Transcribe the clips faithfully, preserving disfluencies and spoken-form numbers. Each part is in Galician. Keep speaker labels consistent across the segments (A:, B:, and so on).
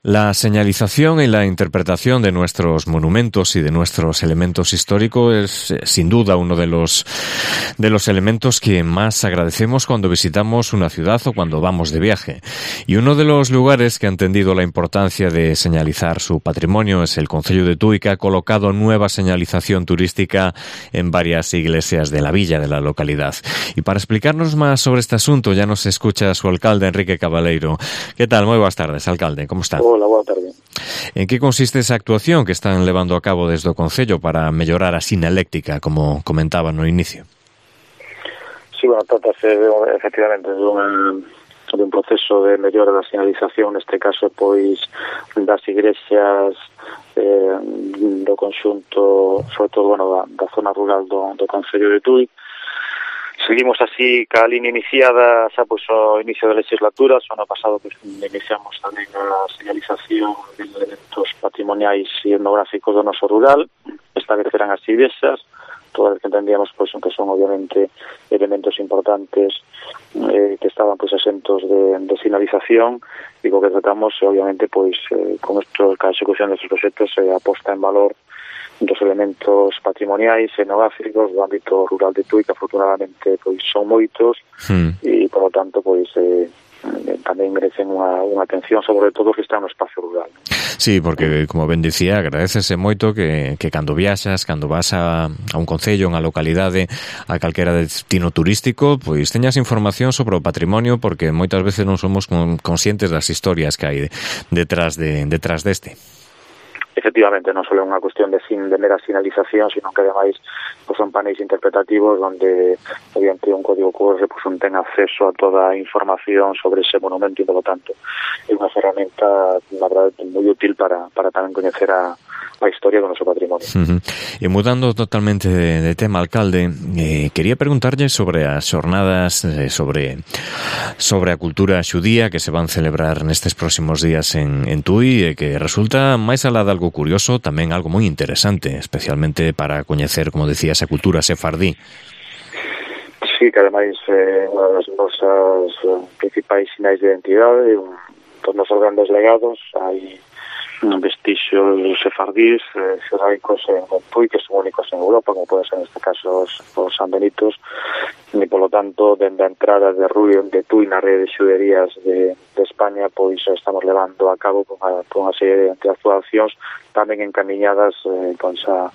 A: La señalización y la interpretación de nuestros monumentos y de nuestros elementos históricos es, eh, sin duda, uno de los de los elementos que más agradecemos cuando visitamos una ciudad o cuando vamos de viaje. Y uno de los lugares que ha entendido la importancia de señalizar su patrimonio es el Concello de Tui, que ha colocado nueva señalización turística en varias iglesias de la villa de la localidad. Y para explicarnos más sobre este asunto ya nos escucha su alcalde, Enrique Cabaleiro. ¿Qué tal? Muy buenas tardes, alcalde. ¿Cómo está?
B: Hola, boa tarde.
A: En que consiste esa actuación que están levando a cabo desde o Concello para mellorar a sinaléctica, como comentaba no inicio?
B: Sí, bueno, trátase de, efectivamente de un, de un proceso de mellora da sinalización, neste caso, pois, das igrexas eh, do conxunto, sobre todo, bueno, da, da zona rural do, do Concello de Tui. Seguimos así ca línea iniciada xa pois ao inicio da legislatura. O ano pasado pois iniciamos tamén a señalización de elementos patrimoniais e etnográficos do noso rural. Esta vez eran as igrexas, todas as que entendíamos pois que son obviamente elementos importantes eh, que estaban pois asentos de, de sinalización, e co que tratamos obviamente pois eh, con isto, ca execución destes proxectos se eh, aposta en valor dos elementos patrimoniais e etnográficos do ámbito rural de Tui, que afortunadamente pois son moitos mm. e, por lo tanto, pois eh, tamén merecen unha, unha atención, sobre todo que está no espacio rural.
A: Sí, porque, como ben dicía, agradecese moito que, que cando viaxas, cando vas a, a un concello, a unha localidade, a calquera destino turístico, pois teñas información sobre o patrimonio, porque moitas veces non somos conscientes das historias que hai detrás de detrás deste.
B: Efectivamente, non só é unha cuestión de, sin, de mera sinalización, sino que ademais pues, son paneis interpretativos onde mediante un código Q R pues, un ten acceso a toda a información sobre ese monumento, e, por lo tanto, é unha ferramenta, na verdade, moi útil para, para tamén coñecer a, a historia do noso patrimonio.
A: Uh-huh. E mudando totalmente de, de tema, alcalde, eh, quería preguntarlle sobre as xornadas eh, sobre sobre a cultura xudía que se van celebrar nestes próximos días en, en Tui, e que resulta máis alá de algo curioso, tamén algo moi interesante, especialmente para coñecer, como decía, esa cultura sefardí.
B: Sí, que ademais é eh, unha das nosas eh, principais sinais de identidade, un dos nosos grandes legados. Hai vestixios sefardís, eh, xeráicos en Tui, que son únicos en Europa, como pode ser neste caso os, os San Benitos, e, polo tanto, dende a entrada de Rui de Tui na rede de xuderías de, de España, pois estamos levando a cabo con unha, con unha serie de actuacións tamén encamiñadas eh, pois a,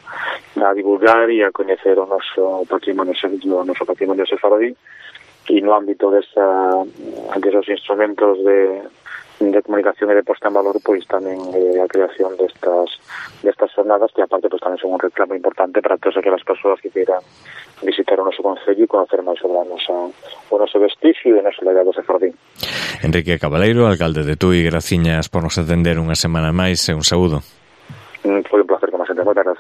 B: a divulgar e a coñecer o noso patrimonio, o noso patrimonio sefardí, e no ámbito desa, desos instrumentos de de comunicación e de posta en valor, pois tamén eh, a creación destas destas jornadas, que aparte pois tamén son un reclamo importante para todas aquelas persoas que queiran visitar o noso concello e conocer máis sobre a nosa, o noso vestigio e o noso legado sefardí.
A: Enrique Cabaleiro, alcalde de Tui, graciñas por nos atender unha semana máis e un saúdo.
B: Mm, foi un placer, como sempre, moitas gracias.